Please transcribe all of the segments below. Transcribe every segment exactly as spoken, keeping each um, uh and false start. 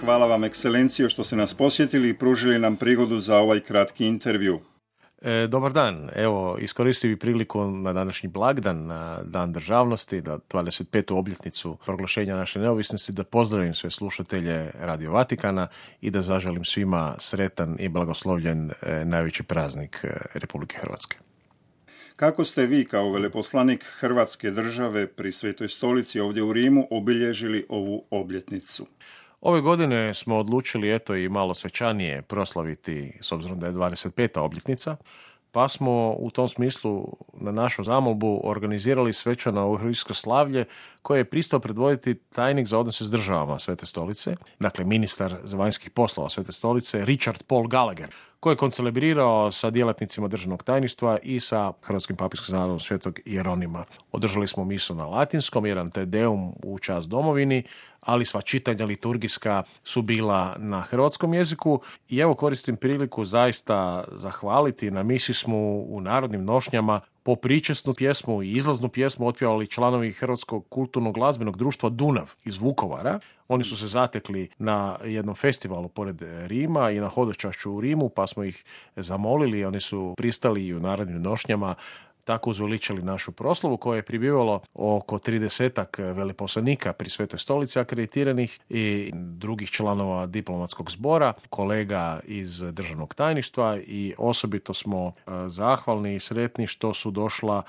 Hvala vam, ekscelencijo, što ste nas posjetili i pružili nam prigodu za ovaj kratki intervju. E, dobar dan. Evo, iskoristio bih priliku na današnji blagdan, na Dan državnosti, da dvadeset petu obljetnicu proglašenja naše neovisnosti, da pozdravim sve slušatelje Radio Vatikana i da zaželim svima sretan i blagoslovljen e, najveći praznik e, Republike Hrvatske. Kako ste vi kao veleposlanik Hrvatske države pri Svetoj stolici ovdje u Rimu obilježili ovu obljetnicu? Ove godine smo odlučili eto i malo svečanije proslaviti, s obzirom da je dvadeset peta obljetnica, pa smo u tom smislu na našu zamolbu organizirali svečano euharistijsko slavlje koje je pristao predvoditi tajnik za odnose s državama Svete stolice, dakle ministar za vanjskih poslova Svete stolice, Richard Paul Gallagher, koji je koncelebrirao sa djelatnicima državnog tajništva i sa Hrvatskim papijskim zanadom Svetog Jeronima. Održali smo misu na latinskom, jedan te deum u čast domovini, ali sva čitanja liturgijska su bila na hrvatskom jeziku i evo koristim priliku zaista zahvaliti. Na misi smo u narodnim nošnjama po pričesnu pjesmu i izlaznu pjesmu otpjevali članovi Hrvatskog kulturnog glazbenog društva Dunav iz Vukovara. Oni su se zatekli na jednom festivalu pored Rima i na hodočašću u Rimu, pa smo ih zamolili, oni su pristali i u narodnim nošnjama tako uzveličali našu proslavu koja je pribivalo oko tridesetak veleposlanika pri Svetoj stolici akreditiranih i drugih članova diplomatskog zbora, kolega iz državnog tajništva i osobito smo zahvalni i sretni što su došla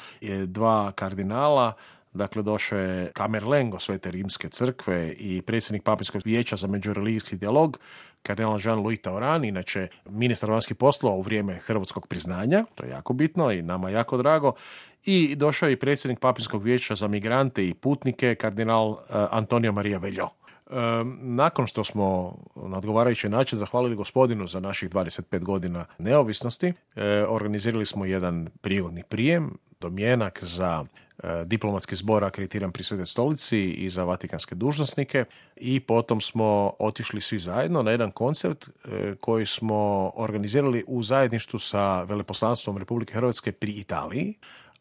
dva kardinala. Dakle, došao je Kamerlengo Svete rimske crkve i predsjednik Papinskog vijeća za međureligijski dijalog, kardinal Jean-Louis Tauran, inače ministar vanjskih poslova u vrijeme hrvatskog priznanja, to je jako bitno i nama jako drago, i došao je i predsjednik Papinskog vijeća za migrante i putnike, kardinal uh, Antonio Maria Veljo. Nakon što smo na odgovarajući način zahvalili gospodinu za naših dvadeset pet godina neovisnosti, organizirali smo jedan prigodni prijem, domjenak za diplomatski zbor akreditiran pri Svetoj stolici i za vatikanske dužnosnike i potom smo otišli svi zajedno na jedan koncert koji smo organizirali u zajedništvu sa veleposlanstvom Republike Hrvatske pri Italiji,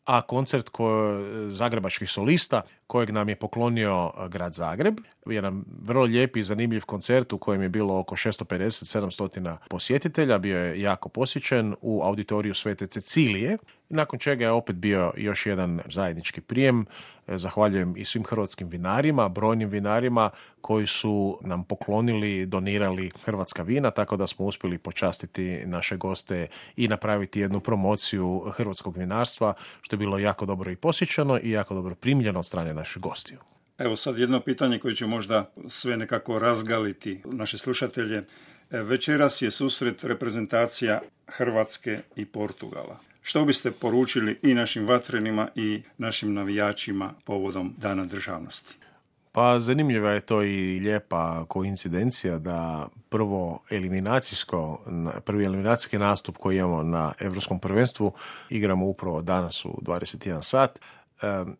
a koncert koje, zagrebačkih solista kojeg nam je poklonio grad Zagreb. Jedan vrlo lijep i zanimljiv koncert u kojem je bilo oko šesto pedeset do sedamsto posjetitelja. Bio je jako posjećen u auditoriju Svete Cecilije. Nakon čega je opet bio još jedan zajednički prijem. Zahvaljujem i svim hrvatskim vinarima, brojnim vinarima koji su nam poklonili, donirali hrvatska vina, tako da smo uspjeli počastiti naše goste i napraviti jednu promociju hrvatskog vinarstva, što je bilo jako dobro i posjećeno i jako dobro primljeno od strane naših gostiju. Evo sad jedno pitanje koje će možda sve nekako razgaliti naše slušatelje. Večeras je susret reprezentacija Hrvatske i Portugala. Što biste poručili i našim vatrenima i našim navijačima povodom Dana državnosti? Pa zanimljiva je to i lijepa koincidencija da prvo eliminacijsko, prvi eliminacijski nastup koji imamo na Europskom prvenstvu igramo upravo danas u dvadeset jedan sat.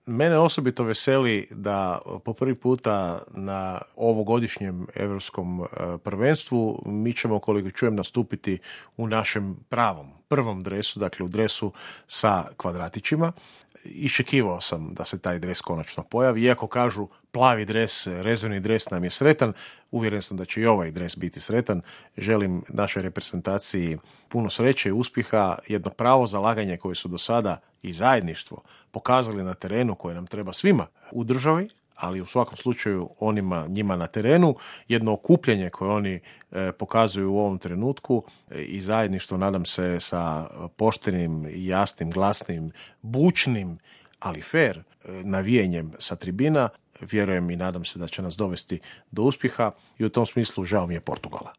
Mene osobito veseli da po prvi puta na ovogodišnjem Europskom prvenstvu mi ćemo, koliko čujem, nastupiti u našem pravom, prvom dresu, dakle u dresu sa kvadratićima. Iščekivao sam da se taj dres konačno pojavi, iako kažu plavi dres, rezervni dres nam je sretan, uvjeren sam da će i ovaj dres biti sretan. Želim našoj reprezentaciji puno sreće i uspjeha, jedno pravo zalaganje koje su do sada i zajedništvo pokazali na terenu koje nam treba svima u državi, ali u svakom slučaju onima njima na terenu, jedno okupljanje koje oni e, pokazuju u ovom trenutku e, i zajedništvo, nadam se, sa poštenim, jasnim, glasnim, bučnim, ali fair e, navijenjem sa tribina, vjerujem i nadam se da će nas dovesti do uspjeha i u tom smislu žao mi je Portugala.